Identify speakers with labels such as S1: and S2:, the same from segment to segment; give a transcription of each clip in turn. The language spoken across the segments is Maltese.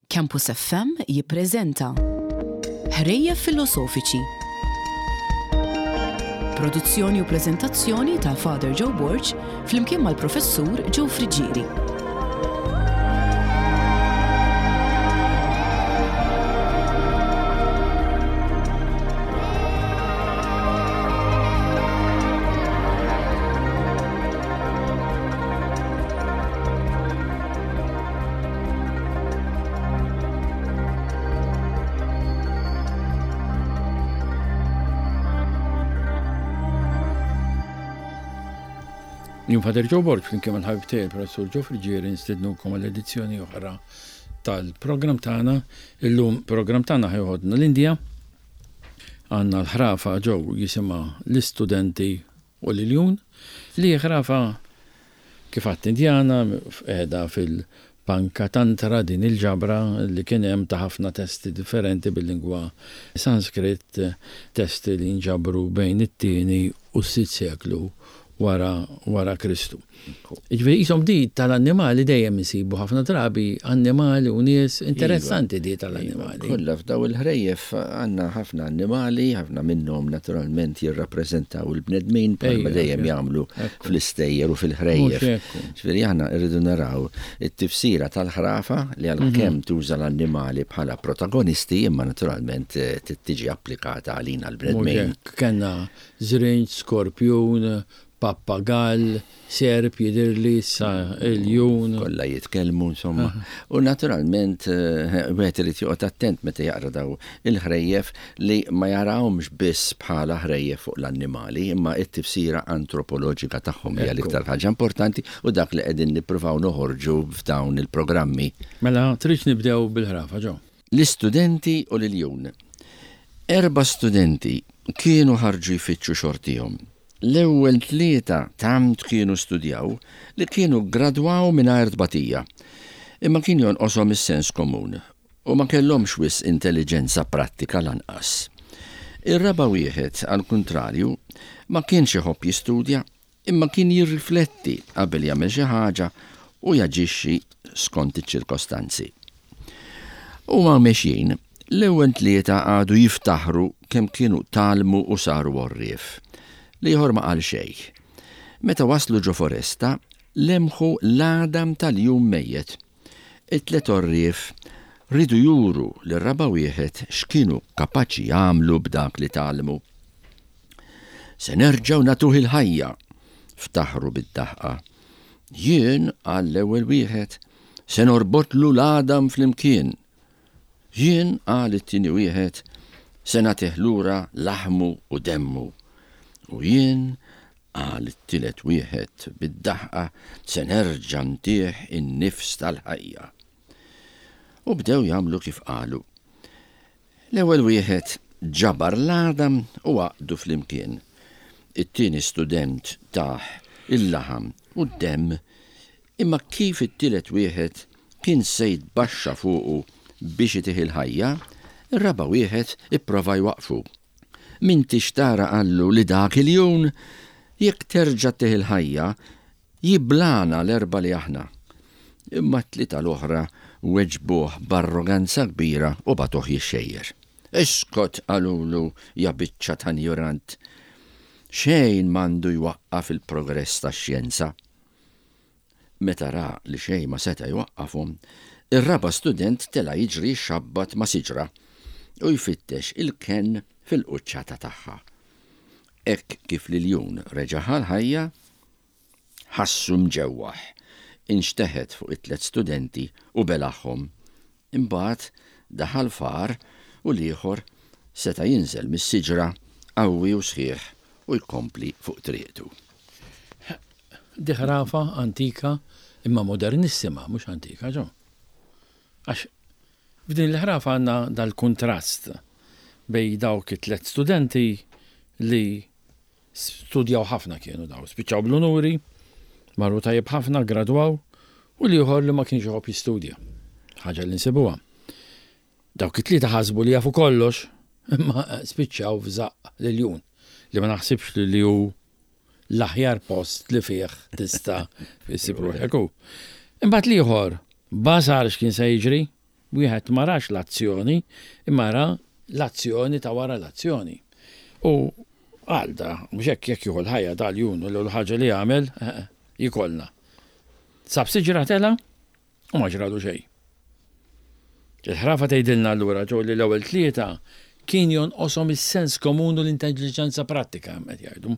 S1: Campus FM jippreżenta Ħrejjef Filosofiċi. Produzzjoni u preżentazzjoni ta' Father Joe Borg flimkien mal-Professur Joe Friggieri.
S2: Jien Fader Joe Borg flimkien mal-ħabib tiegħi il-Professur Joe Friggieri nstednukom għal edizzjoni oħra tal-programm tagħna. Illum programm tagħna ħajħodna l-Indja. Għandna l-ħrafa Joe jisimha l-istudenti u l-iljun li ħrafa Kif għadt Indjana qiegħda fil-Panchatantra din il-ġabra li kien hemm ta' ħafna testi differenti bil-lingwa Sanskrit, testi li nġabru bejn it-tieni u s-sitt seklu wara wara Kristu. Jiġifieri qishom di tal-annimali dejjem insibu ħafna drabi annimali u nies interessanti di tal-annimali.
S3: Kollha f'daw il-ħrejjef għandna ħafna annimali, ħafna minnhom naturalment jirrappreżentaw il-bnedmin bħalma dejjem jagħmlu fl-istejjer u fil-ħrejjef. Ġifieri aħna rridu naraw it-tifsira tal-ħrafa li għalkemm tuża l-annimali bħala protagonisti imma naturalment tiġi applikata għalina l-bnedmin.
S2: Kellna żrinġ, skorpjun, pappagall, serp jidhirli issa iljun.
S3: Kollha jitkellmu insomma. U naturalment wieħed irid joqgħod attent meta jaqra daw il-ħrejjef li ma jarahomx biss bħala ħrejjef fuq l-annimali, imma t-tifsira antropoloġika tagħhom hija l-iktar ħaġa importanti u dak li qegħdin nippruvaw noħorġu f'dawn il-programmi.
S2: Mela, tridx nibdew bil-ħrafa, Joe?
S3: L-istudenti u l-iljun. Erba' studenti kienu ħarġu jfittxu xortihom. L-ewwel tlieta tant kienu studjaw li kienu ggradwaw mingħajr tbatija. Imma kien jonqoshom is-sens komun u ma kellhomx wisq intelliġenza prattika lanqas. Ir-raba' wieħed, għall-kuntrarju, ma kienx iħobb jistudja, imma kien jirrifletti qabel jagħmel xi ħaġa u jaġixxi skont iċ-ċirkostanzi. Huma mexjin, l-ewwel tlieta qagħdu jiftaħru kemm kienu tgħallmu u saru għorrief. L-ieħor ma qal xejn. Meta waslu ġo foresta, lemħu l-għadam ta' ljun mejjet. It-tliet għorrief riedu juru lir-raba' wieħed x'kienu kapaċi jagħmlu b'dak li tgħallmu. Se nerġgħu nagħtuh il-ħajja! ftaħru bid-daħqa. Jien, qal l-ewwel wieħed, se norbotlu l-għadam flimkien. Jien, qal it-tieni wieħed, se nagħtih lura laħmu u demmu. U jien, qal it-tielet wieħed bid-daħqa, se nerġa' ntih in-nifs tal-ħajja. U bdew jagħmlu kif qalu. L-ewwel wieħed ġabar l-għadam u għaqqdu flimkien. It-tieni student tah il-laħam u d-demm, imma kif it-tielet wieħed kien se jitbaxxa fuqu biex itih il-ħajja, ir-raba' wieħed ipprova jwaqqfu. M'intix tara qallu li dak iljun, jekk terġa' ttih il-ħajja, jiblagħna l-erbgħa li aħna. Imma t-tlieta l-oħra weġbuh b'arroganza kbira u bagħtuh jixxejjer. Iskot, qalulu, ja biċċa ta' njurant. Xejn m'għandu jwaqqaf il-progress tax-xjenza. Meta ra li xejn ma seta' jwaqqafhom, ir-raba' student tela' jiġri jxabbat ma' siġra u jfittex il-kenn fil-quċċata tagħha. Hekk kif l-iljun reġa' ħa l-ħajja, ħassu mġewwaħ, inxteħet fuq it-tliet studenti u belagħhom. Imbagħad daħal f'għar u l-ieħor seta' jinżel mis-siġra qawwi u sħiħ u jkompli fuq triqtu.
S2: Di ħrafa antika imma modernissima, mhux antika, ġo. Għax f'din il-ħrafa għandna dal-kuntrast bejn dawk it-tliet studenti li Studjaw ħafna kienu daw, spiċċaw bl-unuri, marru tajjeb ħafna, gradwaw, u l-ieħor li ma kienx iħobb jistudja. Ħaġa li nsibuha. Dawk it-tlieta ħasbu li jafu kollox, imma spiċċaw f'żaqq l-iljun, li ma naħsibx li hu l-aħjar post li fih tista' issib ruħek hu. Imbagħad l-ieħor basar x'kien se jiġri. Wieħed ma rax l-azzjoni, imma ra l-azzjoni ta' wara l-azzjoni. U qal da, mhux hekk jekk jieħu l-ħajja da ljun u l-ewwel ħaġa li jagħmel jikolna. Sab siġra tela' u ma ġralu xejn. Il-ħrafa tgħidilna allura ġew li l-ewwel tlieta kien jonqoshom is-sens komun u l-intelliġenza prattika hemm qed jgħidu.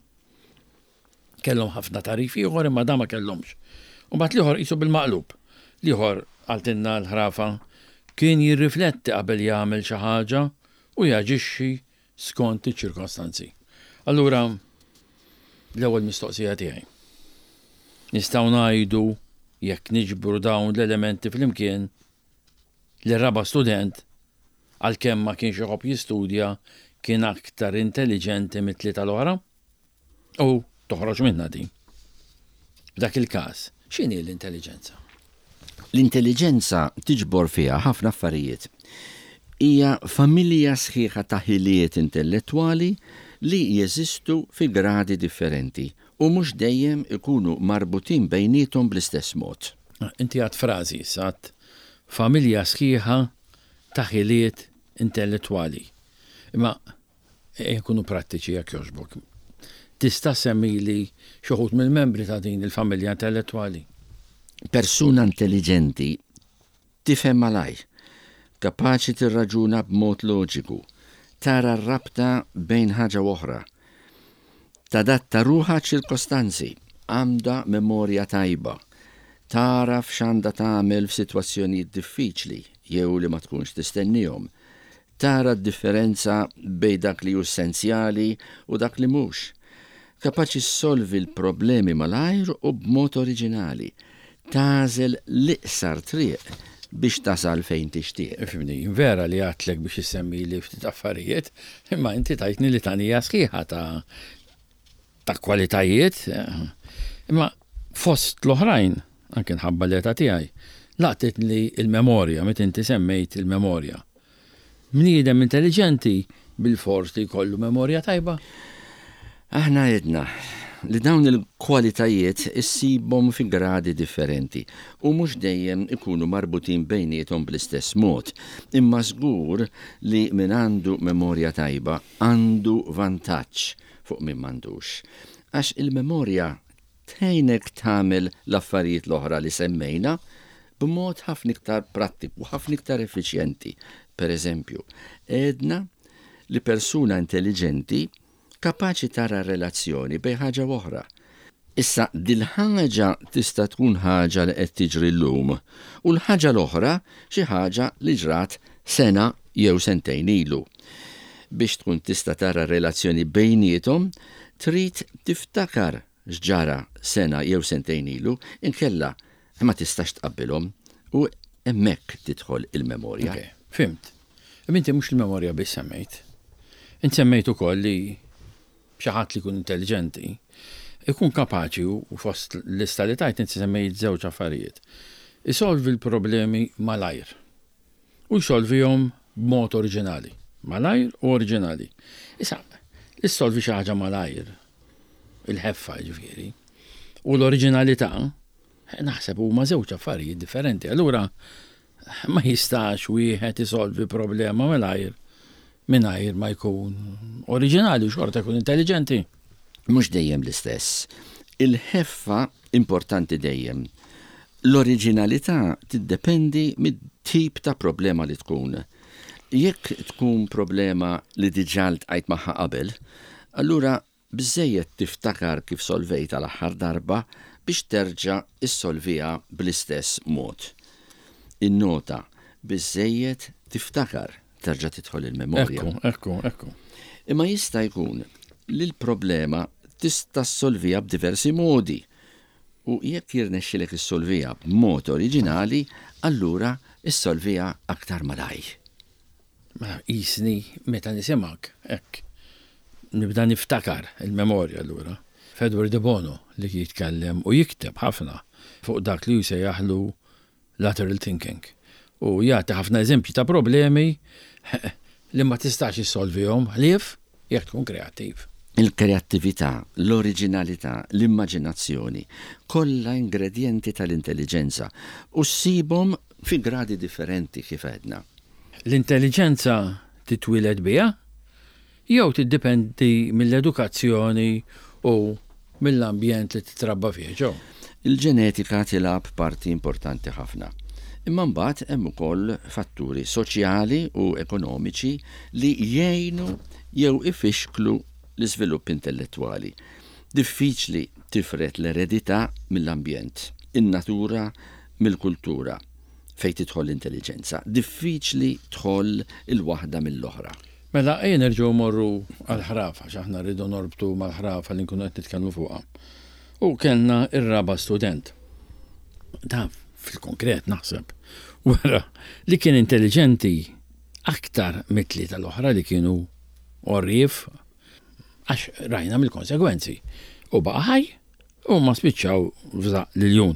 S2: Kellhom ħafna tagħrif ieħor imma dan ma kellhomx. U mbagħad l-ieħor qisu bil-maqlub. L-ieħor qaltilna l-ħrafa kien jirrifletti qabel jagħmel xi ħaġa u jaġixxi skont iċ-ċirkostanzi. Allura l-ewwel mistoqsija tiegħi. Nistgħu ngħidu jekk niġbru dawn l-elementi flimkien li r-raba' student għalkemm ma kienx iħobb jistudja kien aktar intelliġenti mit-tlieta l-oħra? U toħroġ minnha din. F'dak il-każ, x'inhi l-intelliġenza?
S3: L-intelliġenza tiġbor fiha ħafna affarijiet. Hija familja sħiħa ta' ħiliet intellettwali li jeżistu fi gradi differenti u mhux dejjem ikunu marbutin bejniethom bl-istess mod.
S2: Inti għedt frażi issa, għedt familja sħiħa ta' ħiliet intellettwali. Imma Ejja nkunu prattiċi jekk jogħġbok. Tista' ssemmili xi wħud mill-membri ta' din il-familja intellettwali?
S3: Persuna intelliġenti tifhem malajr, kapaċi tirraġuna b'mod loġiku, tara r-rabta bejn ħaġa u oħra, tadatta ruħha għaċ-ċirkostanzi, għandha memorja tajba, tagħraf x'għandha tagħmel f'sitwazzjonijiet diffiċli jew li ma tkunx tistennihom, Tara d-differenza bejn dak li hu essenzjali u dak li mhux. Kapaċi ssolvi l-problemi malajr u b'mod oriġinali. Tagħżel l-iqsar triq biex tasal fejn tixtieq.
S2: Ifhimni, vera li għedtlek biex issemmili ftit affarijiet, imma inti tajtni litanija sħiħa ta' ta' kwalitajiet, imma fost l-oħrajn, anke nħabba l-età tiegħi, laqtitni l-memorja meta inti semmejt il-memorja. Bniedem intelliġenti bilfors li jkollu memorja tajba?
S3: Aħna għedna li dawn il-kwalitajiet issibhom fi gradi differenti u mhux dejjem ikunu marbutin bejniethom bl-istess mod, imma żgur li min għandu memorja tajba għandu vantaġġ fuq min m'għandux. Għax il-memorja tgħinek tagħmel l-affarijiet l-oħra li semmejna b'mod ħafna iktar prattiku, ħafna iktar effiċjenti. Per eżempju, għedna li persuna intelliġenti kapaċi tara relazzjoni bejn ħaġa u oħra. Issa dil-ħaġa tista' tkun ħaġa li qed tiġri llum u l-ħaġa l-oħra xi ħaġa li ġrat sena jew sentejn ilu. Biex tkun tista' tara r-relazzjoni bejniethom trid tiftakar x'ġara sena jew sentejn ilu, inkella ma tistax tqabbilhom u hemmhekk tidħol il-memorja.
S2: Ok, fhimt. Imma inti mhux il-memorja biss semmejt. Int semmejt ukoll li Xi ħadd li jkun intelliġenti jkun kapaċi u fost lista li tajt inti semmejt żewġ affarijiet. Isolvi l-problemi malajr u jsolvihom b'mod oriġinali. Malajr u oriġinali. Issa, li ssolvi xi ħaġa malajr, il-ħeffa jiġifieri, u l-oriġinalità, naħseb huma żewġ affarijiet differenti. Allura Ma jistax wieħed isolvi problema malajr mingħajr ma jkun oriġinali u xorta jkun intelliġenti.
S3: Mhux dejjem l-istess. Il-ħeffa importanti dejjem. L-oriġinalità tiddependi mit-tip ta' problema li tkun. Jekk tkun problema li diġà ltqajt magħha qabel, allura Biżżejjed tiftakar kif solvejtha l-aħħar darba biex terġa' ssolviha bl-istess mod. Innota, biżżejjed tiftakar, terġa' tidħol il-memorja.
S2: Ekku, ekku, ekku.
S3: Imma jista' jkun li l-problema tista' ssolviha b'diversi modi u jekk jirnexxilek issolviha b'mod oriġinali, allura ssolviha aktar malajr.
S2: Mela qisni meta nisimgħek hekk nibda niftakar il-memorja allura. F'Edward de Bono li jitkellem u jikteb ħafna fuq dak li hu jsejjaħlu lateral thinking u jagħti ħafna eżempji ta' problemi li ma tistax issolvihom ħlief jekk tkun kreattiv.
S3: Il-kreattività, l-oriġinalità, l-immaġinazzjoni, kollha ingredjenti tal-intelliġenza u ssibhom fi gradi differenti kif għedna.
S2: L-intelliġenza titwieled biha jew tiddipendi mill-edukazzjoni u mill-ambjent li titrabba fih, Joe?
S3: Il-ġenetika tilgħab parti importanti ħafna. Imma mbagħad hemm ukoll fatturi soċjali u ekonomiċi li jgħinu jew ifixklu l-iżvilupp intellettwali. Diffiċli tifred l-eredità mill-ambjent, in-natura mill-kultura fejn tidħol l-intelliġenza. Diffiċli tħoll il-waħda mill-oħra.
S2: Mela ejja nerġgħu mmorru għall-ħrafa għax aħna rridu norbtu mal-ħrafa li nkunu qed nitkellmu fuqha. U kellna r-raba' student. Dan fil-konkret naħseb wera li kien intelliġenti aktar mit-tlieta l-oħra li kienu għorrief għax rajna mill-konsegwenzi. U baqa' ħaj u ma spiċċaw f'żaqq l-iljun.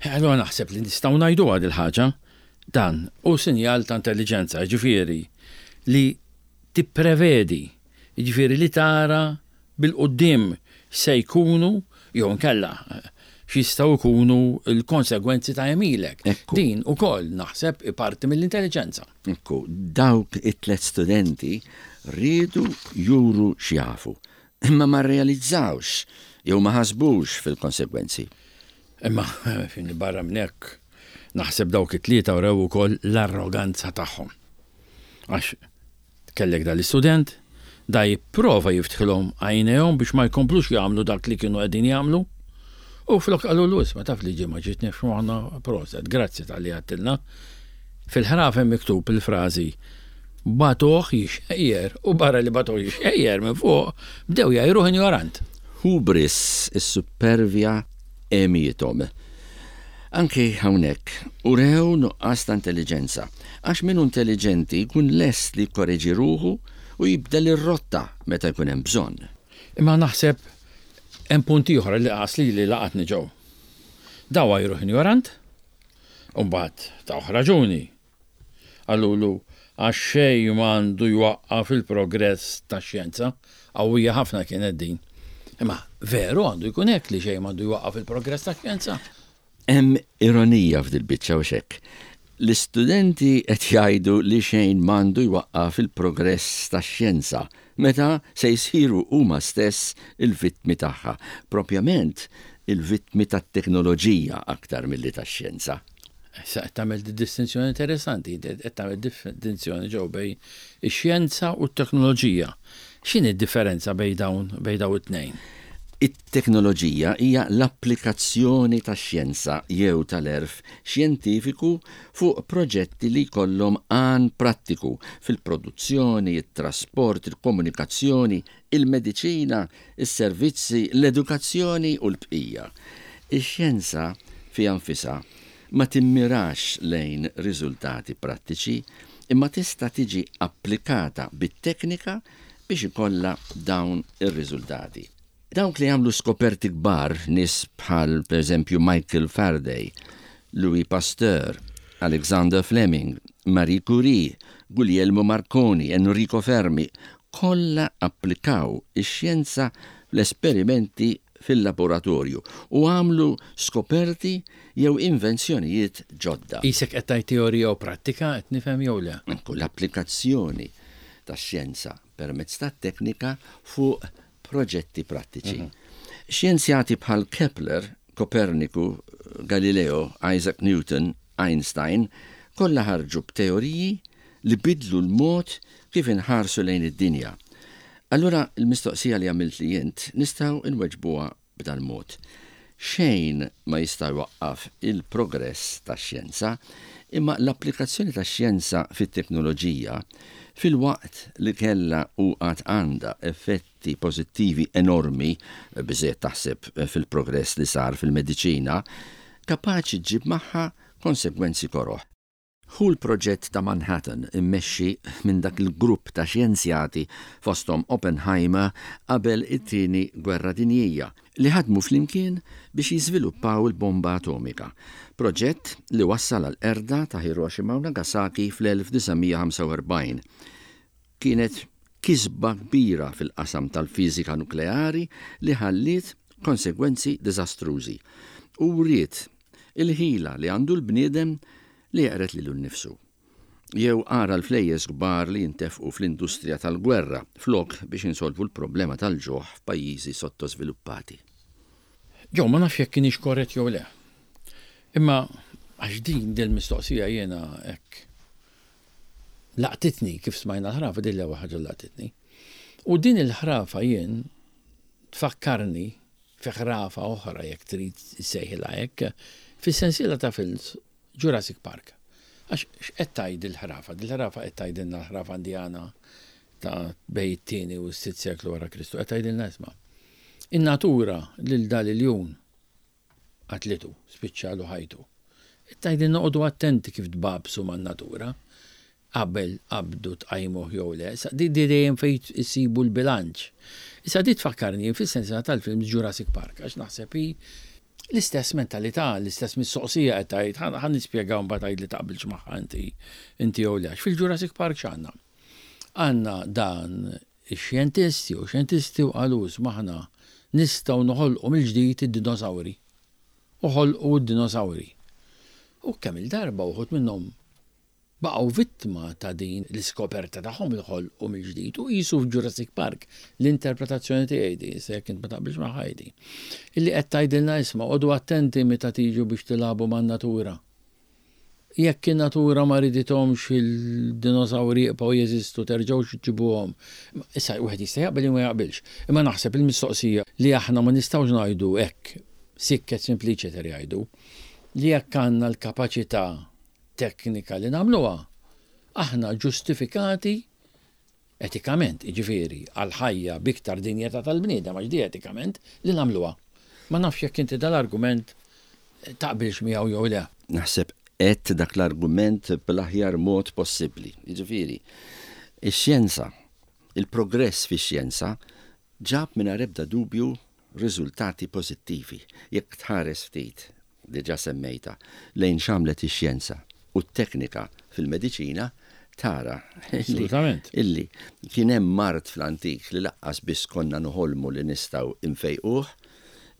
S2: Allura naħseb li nistgħu ngħiduha dil-ħaġa, dan hu sinjal ta' intelliġenza, jiġifieri li tipprevedi, jiġifieri li tara bil-quddiem x'se jkunu jew inkella x'jistgħu jkunu l-konsegwenzi ta' għemilek.
S3: Ekku.
S2: Din ukoll naħseb hi parti mill-intelliġenza.
S3: Ekku, dawk it-tlet studenti riedu juru x'jafu, imma ma rrealizzawx jew ma ħasbux fil-konsegwenzi.
S2: Imma barra minn hekk, naħseb dawk it-tlieta wrew ukoll l-arroganza tagħhom. Għax kellek dal-istudent, da jipprova jiftħilhom għajnejhom biex ma jkomplux jagħmlu dak li kienu qegħdin jagħmlu. U flok qalulu isma' taf li ġie ma ġietniex f'moħħna proset, grazzi talli għedtilna. Fil-ħraf hemm miktub il-frażi bagħtuh jixxejjer u barra li bagħtuh jixxejjer minn fuq bdew jgħajruh injorant.
S3: Hubris, is-suppervja għemiethom. Anki hawnhekk, urew nuqqas ta' intelliġenza, għax min hu intelliġenti jkun lest li jikkoreġi ruħu u jibdel ir-rotta meta jkun hemm bżonn.
S2: Imma naħseb hemm punt ieħor li qas lili laqatni ġew. Daw għajruh injorant, u mbagħad tawh raġuni. Qalulu għax xejn m'għandu jwaqqaf il-progress tax-xjenza. Qawwija ħafna kienet din. Imma veru għandu jkun hekk li xejn m'għandu jwaqqaf il-progress tax-xjenza?
S3: Hemm ironija f'dil-biċċa hux hekk? L-istudenti qed jgħidu li xejn m'għandu jwaqqaf il-progress tax-xjenza meta se jsiru huma stess il-vittmi tagħha, propjament il-vittmi tat-teknoloġija aktar milli tax-xjenza.
S2: Issa qed tagħmel distinzjoni interessanti, qed tagħmel distinzjoni ġew bejn ix-xjenza u t-teknoloġija. X'inhi d-differenza bejn dawn bejn dawn it-tnejn?
S3: It-teknoloġija hija l-applikazzjoni tax-xjenza jew tal-għerf xjentifiku fuq proġetti li jkollhom għan prattiku fil-produzzjoni, it-trasport, il-komunikazzjoni, il-mediċina, is-servizzi, l-edukazzjoni u l-bqija. Ix-xjenza fiha nfisha ma timmirax lejn riżultati prattiċi imma tista' tiġi applikata bit-teknika biex ikollha dawn ir-riżultati. Dawk li għamlu skoperti kbar, nies bħal pereżempju Michael Faraday, Louis Pasteur, Alexander Fleming, Marie Curie, Guglielmo Marconi, Enrico Fermi, kollha applikaw ix-xjenza fl-esperimenti fil-laboratorju u għamlu skoperti jew invenzjonijiet ġodda.
S2: Qisek qed tgħid teorija u prattika, qed nifhem jew le?
S3: Ekku, l-applikazzjoni tax-xjenza permezz tat-teknika fuq proġetti prattiċi. Xjenzjati bħal Kepler, Koperniku, Galileo, Isaac Newton, Einstein, kollha ħarġu b'teoriji li biddlu l-mod kif inħarsu lejn id-dinja. Allura l-mistoqsija li għamiltli int nistgħu nweġbuha b'dal-mod. Xejn ma jista' jwaqqaf il-progress tax-xjenza, imma l-applikazzjoni tax-xjenza fit-teknoloġija, filwaqt li kellha u għad għandha effetti pożittivi enormi, biżżejjed taħseb fil-progress li sar fil-mediċina, kapaċi ġġib magħha konsegwenzi koroh. Hu l-proġett ta' Manhattan immexxi minn dak il-grupp ta' xjenzjati fosthom Oppenheimer qabel it-Tieni Gwerra Dinjija li ħadmu flimkien biex jiżviluppaw il-bomba atomika, proġett li wassal għall-qerda ta' Hiroshima u Nagasaki fl-1945. Kienet kisba kbira fil-qasam tal-fiżika nukleari li ħalliet konsegwenzi diżastrużi u wriet il-ħila li għandu l-bniedem li jeqred lilu nnifsu. Jew ara l-flejjes kbar li jintefqu fl-industrija tal-gwerra flok biex insolvu l-problema tal-ġuħ f'pajjiżi sottożviluppati.
S2: Joe, ma nafx jekk kienx korrett jew le. Imma għax din dil-mistoqsija jiena hekk laqtitni kif smajna l-ħrafa din l-ewwel ħaġa laqtitni. U din il-ħrafa jien tfakkarni fi ħrafa oħra jekk trid issejħilha hekk, fis-sensiela ta' films Jurassic Park. Għax x'qed tgħid il-ħrafa? Dil-ħrafa qed tgħidilna l-ħrafa Indjana ta' bejn it-tieni u s-sitt seklu wara Kristu. Qed tgħidilna isma'. In-natura lil dal iljun qatlitu, spiċċalu ħajtu. Qed tgħidilna oqogħdu attenti kif tbagħbsu man-natura qabel qabdu tqajmuh jew le. Issa di dejjem fejn issibu l-bilanċ. Issa di tfakkarni fis-sensiela tal-films Jurassic Park għax naħseb hi l-istess mentalità, l-istess mistoqsija qed tgħid, ħa nispjega u mbagħad għidli taqbilx magħha inti inti jew le. Għax fil-Jurassic Park x'għandna? Għandna dan ix-xjentist jew xjentisti u qalu isma' aħna nistgħu noħolqu mill-ġdid id-dinosawri. U ħolqu d-dinosawri. U kemm-il darba uħud minnhom baqgħu vittma ta' din l-iskoperta tagħhom li ħolqu mill-ġdid u qisu f'Jurassic Park, l-interpretazzjoni tiegħi di, issa jekk int ma taqbilx magħha għidi, illi qed tgħidilna isma' qogħdu attenti meta tiġu biex tilagħbu man-natura. Jekk in-natura ma ridithomx il-dinosawri jibqgħu jeżistu terġgħux iġġibuhom. Issa wieħed jista' jaqbel jew ma jaqbilx. Imma naħseb il-mistoqsija li aħna ma nistgħux ngħidu hekk sic et simpliciter jgħidu li jekk għandna l-kapaċità teknika li nagħmluha, aħna ġustifikati etikament, jiġifieri għall-ħajja b'iktar dinjità tal-bniedem għax di etikament li nagħmluha. Ma nafx jekk inti dal-argument taqbilx miegħu jew le.
S3: Naħseb għedt dak l-argument bl-aħjar mod possibbli. Jiġifieri, ix-xjenza, il-progress fix-xjenza ġab mingħajr ebda dubju riżultati pożittivi. Jekk tħares ftit, diġà semmejtha, lejn x'għamlet ix-xjenza u t-teknika fil-mediċina, tara illi kien hemm mard fl-antik li laqqas biss konna noħolmu li nistgħu nfejquh,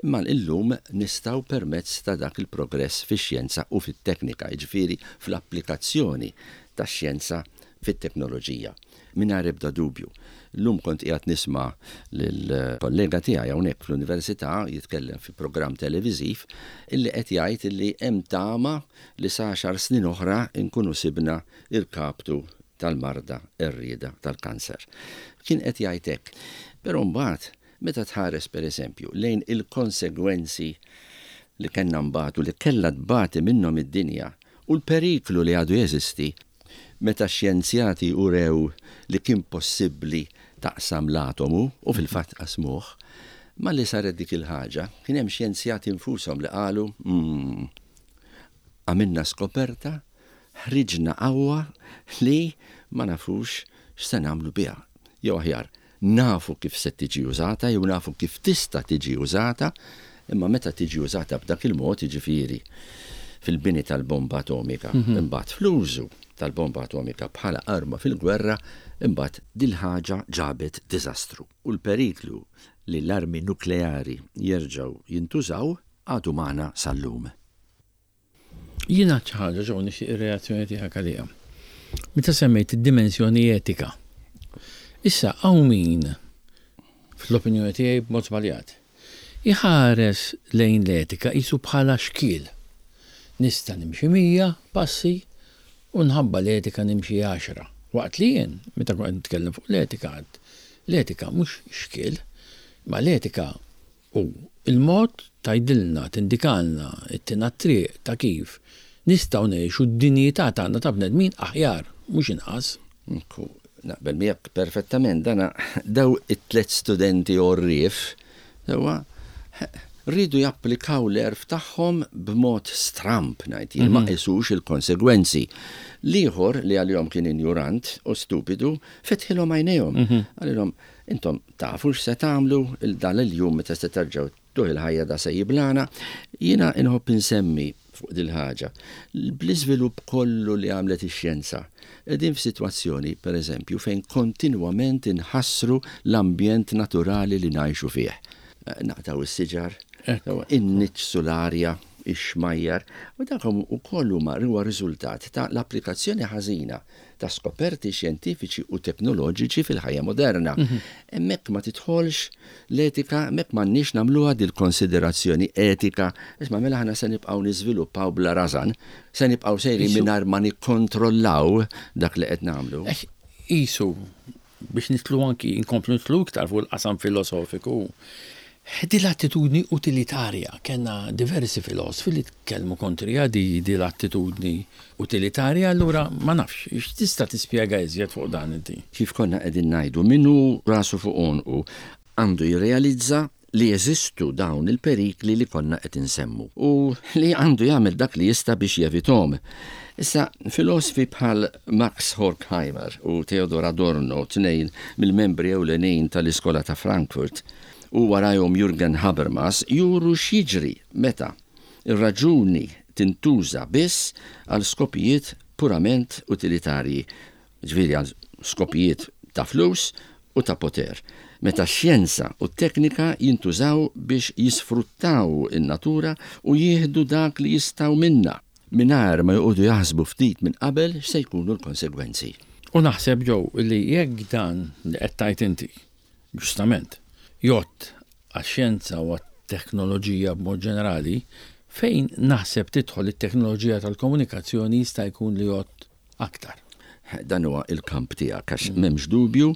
S3: imma illum nistgħu permezz ta' dak il-progress fix-xjenza u fit-teknika, jiġifieri fl-applikazzjoni tax-xjenza fit-teknoloġija. Mingħajr ebda dubju. Illum kont qiegħed nisma' lil kollega tiegħi hawnhekk fl-Università jitkellem fi programm televiżiv illi qed jgħid illi hemm tama li sa għaxar snin oħra nkunu sibna l-kaptu tal-marda qerrieda tal-kanser. Kien qed jgħid hekk. Però mbagħad meta tħares pereżempju lejn il-konsegwenzi li kellna nbatu, li kellha tbati minnhom id-dinja u l-periklu li għadu jeżisti, Meta x-xjenzjati urew li kien possibbli taqsam l-atomu, u fil-fatt qasmuh, malli saret dik il-ħaġa, kien hemm xjenzjati nfushom li qalu, Umm, għamilna skoperta, ħriġna qawwa li ma nafux x'se nagħmlu biha. Jew aħjar, Nafu kif se tiġi użata jew nafu kif tista' tiġi użata, imma meta tiġi użata b'dak il-mod, jiġifieri fil-bini tal-bomba atomika, imbagħad fl-użu tal-bomba atomika bħala arma fil-gwerra, imbagħad dil-ħaġa ġabet diżastru. U l-periklu li l-armi nukleari jerġgħu jintużaw għadu magħna sal-lum.
S2: Jien għad xi ħaġa ġew nixtieq ir-reazzjoni tiegħek għaliha. Meta semmejt id-dimensjoni etika. Issa hawn min fl-opinjoni tiegħi b'mod żbaljat iħares lejn l-etika qisu bħala xkiel. Nista' nimxi 100 passi u nħabba l-etika nimxi għaxra. Waqt li jien, meta kont qed nitkellem fuq l-etika għedt, l-etika mhux xkiel, imma l-etika U l-mod tgħidilna, tindikalna, ittina t-triq ta' kif nistgħu ngħixu d-dinjità tagħna ta' bnedmin aħjar, mhux inqas.
S3: Ekku, naqbel miegħek perfettament. Dana, daw it-tlett studenti għorrief, sewwa, riedu japplikaw l-għerf tagħhom b'mod stramb, ngħid jien, ma qisux il-konsegwenzi. L-ieħor, li għalihom kien injurant u stupidu, fetħilhom għajnejhom. Qalilhom, Intom tafu x'se tagħmlu il dan il-jum meta se terġgħu tuh il-ħajja da se jiblana. Jiena inħobb insemmi fuq dil-ħaġa. Bl-iżvilupp kollu li għamlet ix-xjenza, qegħdin f'sitwazzjoni, per eżempju, fejn kontinwament inħassru l-ambjent naturali li ngħixu fih. Naqtgħu s-siġar, inniġġsu l-arja, ix-xmajjar, u dak ukoll huma huwa riżultat ta' l-applikazzjoni ħażina ta' skoperti xjentifiċi u teknoloġiċi fil-ħajja moderna. Hemmhekk ma tidħolx l-etika, hemmhekk m'għandniex nagħmluha dil-konsiderazzjoni etika, isma' mela aħna se nibqgħu niżviluppaw bla rażan, se nibqgħu sejrin mingħajr ma nikkontrollaw dak li qed nagħmlu.
S2: Qisu biex nidħlu anki, inkomplu nidħlu iktar fuq il-qasam filosofiku, din l-attitudni utilitarja, kellna diversi filosfi li tkellmu kontriha di, di l-attitudni utilitarja, allura ma nafx, x'tista' tispjega iżjed fuq dan inti?
S3: Kif konna qegħdin ngħidu, min hu rasu fuq għonqu għandu jirrealizza li jeżistu dawn il-perikli li konna qed insemmu u li għandu jagħmel dak li jista' biex jevithom. Issa, filosfi bħal Max Horkheimer u Theodor Adorno, tnejn mill-membri ewlenin tal-Iskola ta' Frankfurt, u warajhom Jürgen Habermas, juru x'jiġri meta r-raġuni tintuża biss għal skopijiet purament utilitarji, jiġifieri għal skopijiet ta' flus u ta' poter, meta x-xjenza u t-teknika jintużaw biex jisfruttaw in-natura u jieħdu dak li jistgħu minnha, mingħajr ma joqogħdu jaħsbu ftit minn qabel x'se jkunu l-konsegwenzi.
S2: U naħseb, Joe, li jekk dan li qed tgħid inti, ġustament, jgħodd għax-xjenza u għat-teknoloġija b'mod ġenerali, fejn naħseb tidħol it-teknoloġija tal-komunikazzjoni jista' jkun li jgħodd aktar.
S3: Dan huwa l-kamp tiegħek għax m'hemmx dubju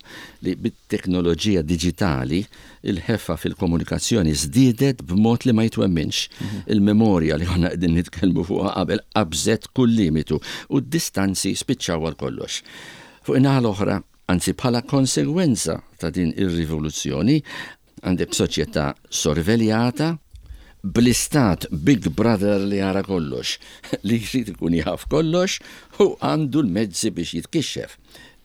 S3: li bit-teknoloġija diġitali l-ħeffa fil-komunikazzjoni żdiedet b'mod li ma jitwemminx. Il-memorja li konna qegħdin nitkellmu fuqha qabel qabżet kull limitu u d-distanzi spiċċaw għal kollox. Fuq in-naħa l-oħra, anzi bħala konsegwenza ta' din ir-rivoluzzjoni, Għandek soċjetà sorveljata bl-istat big brother li jara kollox, li jrid ikun jaf kollox u għandu l-mezzi biex jitkixxef.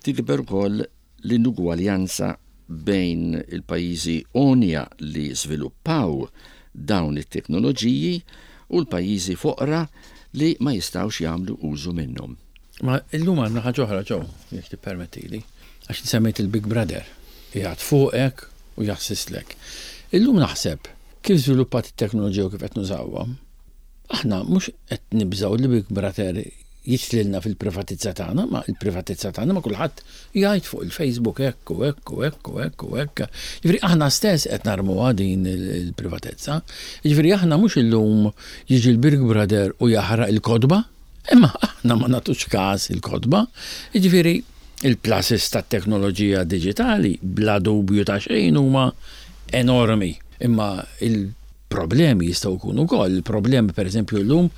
S3: Tikber ukoll l-inugwaljanza bejn il-pajjiżi għonja li żviluppaw dawn it-teknoloġiji u l-pajjiżi foqra li ma jistgħux jagħmlu użu minnhom.
S2: Ma illum għandna ħaġa oħra Joe, jekk tippermettili, għax inti semmejt il-Big Brother, qiegħed fuqek u jaħsislek. Illum naħseb kif żviluppat it-teknoloġija u kif qed nużawha, aħna mhux qed nibżgħu li Big Brother jidħlilna fil-privatizza tagħna, ma il-privatizza tagħna ma kulħadd jgħid fuq il-Facebook hekk u hekk u hekk u hekk u hekk. Jiġifieri aħna stess qed narmuha din il-privatezza. Jiġifieri aħna mhux illum jiġi l-Big Brother u jaħraq il-kotba, Imma aħna ma nagħtux każ il-kotba, jiġifieri il-pluses tat-teknoloġija diġitali bla dubju ta' xejn huma enormi. Imma il-problemi jistgħu jkunu wkoll, il-problemi pereżempju llum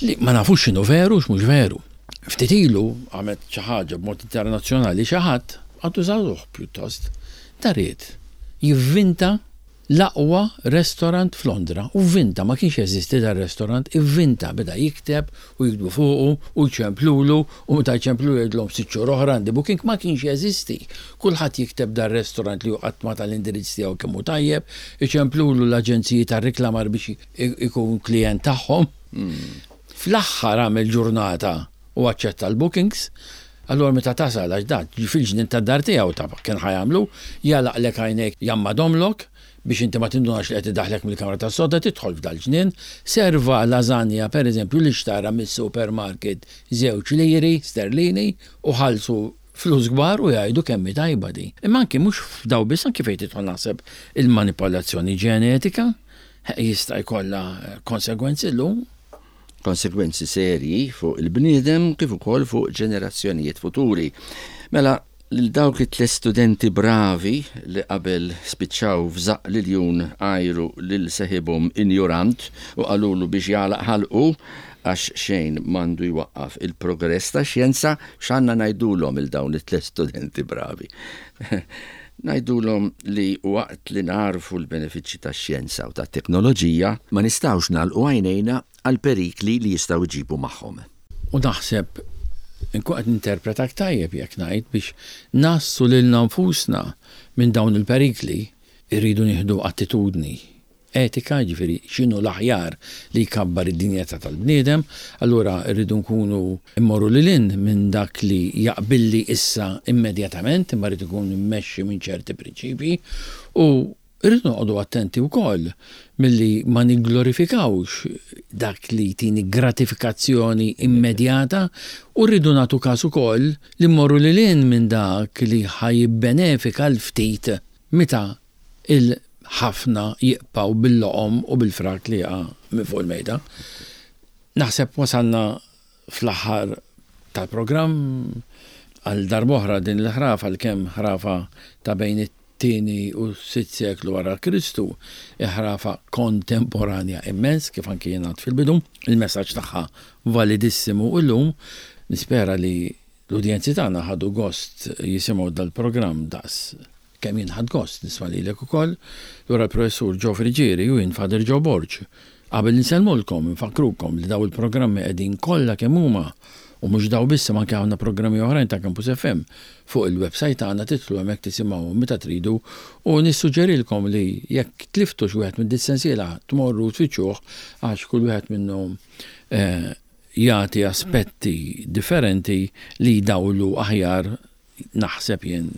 S2: li ma nafux x'inhu veru u x'mhux veru. Ftit ilu għamlet xi ħaġa b'mod internazzjonali xi ħadd, għadu żagħżugħ pjuttost, ta' ried jivvinta L-aqwa restaurant f'Londra. U vvinta, ma kienx jeżisti dar-restaurant, ivvinta, beda jikteb u jiktbu fuqu u jċemplulu u meta jċemplulu jgħidilhom sitt xhur oħra għandi booking, ma kienx jeżisti. Kulħadd jikteb dar-restaurant li hu qatt ma ta l-indirizz tiegħu kemm hu tajjeb, iċemplulu l-aġenziji tar-riklamar biex ikun klijent tagħhom. Fl-aħħar għamel ġurnata u aċċetta l-bookings, allura meta tasal għax dan fil-ġnien tad-dar tiegħu ta' kien ħa jagħmlu, jagħlaqlek għajnejk jgħammadhomlok biex inti ma tindunax li qed idaħħlek mill-kamra tas-sodda tidħol f'dal-ġnien, serva lażanja pereżempju li xtara mis-supermarket żewġ liri sterlini u ħallsu flus kbar u jgħidu kemm hi tajba din. Imma anki mhux f'daw biss anki fejn tidħol naħseb il-manipolazzjoni ġenetika jista' jkollha konsegwenzi llum.
S3: Konsegwenzi serji fuq il-bniedem kif ukoll fuq ġenerazzjonijiet futuri. Mela, lil dawk it-tliet studenti bravi li qabel spiċċaw f'żaqq l-iljun għajru lil seħibhom injurant u qalulu biex jagħlaq ħalqu għax xejn m'għandu jwaqqaf il-progress tax-xjenza, x'għandna ngħidulhom 'il dawn it-tliet studenti bravi? Ngħidulhom li waqt li nagħrfu l-benefiċċji tax-xjenza u tat-teknoloġija, ma nistgħux nagħlqu għajnejna għall-perikli li jistgħu jġibu magħhom.
S2: U naħseb inkun qed ninterpretak tajjeb jekk ngħid biex ngħassu lilna nfusna minn dawn il-perikli, irridu nieħdu attitudni. etika, jiġifieri x'inhu l-aħjar li jkabbar id-dinjità tal-bniedem, allura rridu nkunu mmorru lil hinn minn dak li jaqbilli issa immedjatament, imma rrid ikun immexxi minn ċerti prinċipji u rridu noqogħdu attenti wkoll milli ma nigglorifikawx dak li jtini gratifikazzjoni immedjata u rridu nagħtu każ ukoll li mmorru lil hinn minn dak li ħa jibbenefika l-ftit meta il-ħafna jiqpgħu bil-loqom u bil-frak li jaqa' minn fuq il-mejda. Naħseb wasalna fl-aħħar tal-programm. Għal darb'oħra din il-ħrafa, għalkemm ħrafa ta' bejn it-tieni u s-sitt seklu wara Kristu, hi ħrafa kontemporanja immens, kif anki jien għedt fil-bidu. Il-messaġġ tagħha validissimu illum. Nispera li l-udjenzi tagħna ħadu gost jisimgħu dal-programm daqs Kemm jien ħadt gost nisma' lilek ukoll, lura l-Professur Joe Friggieri u jien Father Joe Borg. Qabel insellmulkom, infakkrukom li daw il-programmi qegħdin kollha kemm huma, u mhux daw biss imma anke ħafna programmi oħrajn ta' Campus FM, fuq il-websajt tagħna tidħlu hemmhekk tisimgħuhom meta tridu u nissuġġerilkom li jekk tliftu xi wieħed minn dis-sensiela tmorru u tfittxuh għax kull wieħed minnhom jagħti aspetti differenti li jdawlu aħjar naħseb jien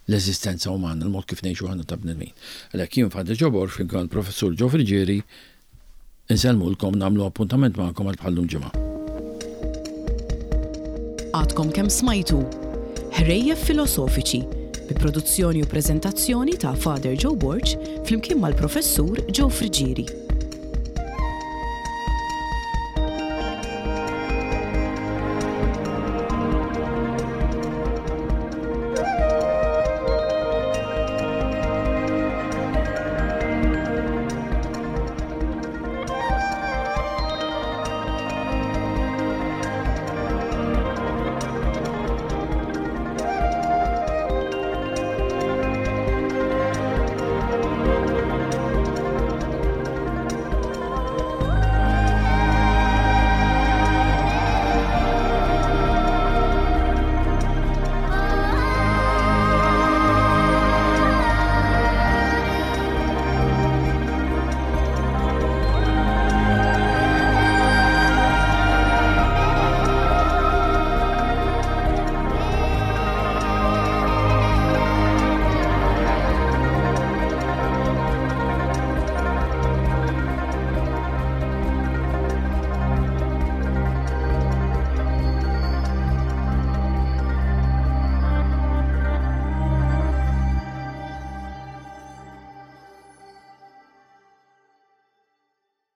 S2: l-eżistenza umana, il-mod kif ngħixu aħna ta' bnedmin. Għalhekk jien Father Joe Borg flimkien mal-Professur Joe Friggieri insellmulkom nagħmlu appuntament magħkom għal bħal-lum ġimgħa.
S1: Għadkom kemm smajtu Ħrejjef Filosofiċi bi produzzjoni u preżentazzjoni ta' Father Joe Borg flimkien mal-Professur Joe Friggieri.